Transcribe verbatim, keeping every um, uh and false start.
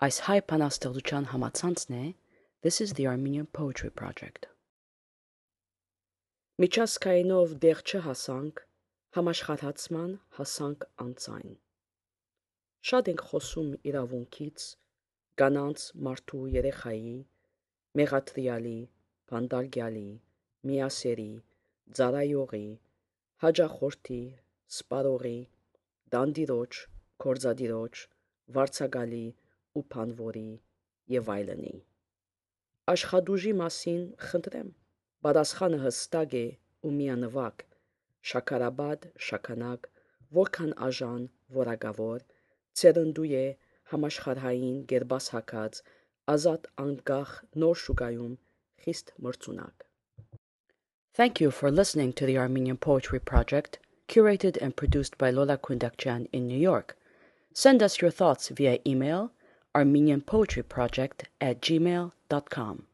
Այս հայ բանաստեղծության համացանցն է This is the Armenian Poetry Project. Միջազգայինով դեղ չհասանք, համաշխարհացման հասանք անցայն։ Շատ ենք խոսում իրավունքից, կանանց, մարդու, երեխայի, մեղադրյալի, բանդարգյալի, միասերի, ծառայողի, հաճախորդի, սպառողի, դանդիրոջ, գործադիրոջ, վարձակալի ու բանվորի եւ այլնի։ Աշխատուժի մասին խնդրեմ, պատասխանը հստակ է ու միանվագ, շաքարաբադ, շաքանակ, որքան աժան, որակավոր, ցերնդու է համաշխարհային գերբասհակած, ազատ անկախ նոր շուկայում խիստ մրցունակ։ Thank you for listening to the Armenian Poetry Project, curated and produced by Lola Kundakjian in New York. Send us your thoughts via email armenian poetry project at gmail dot com.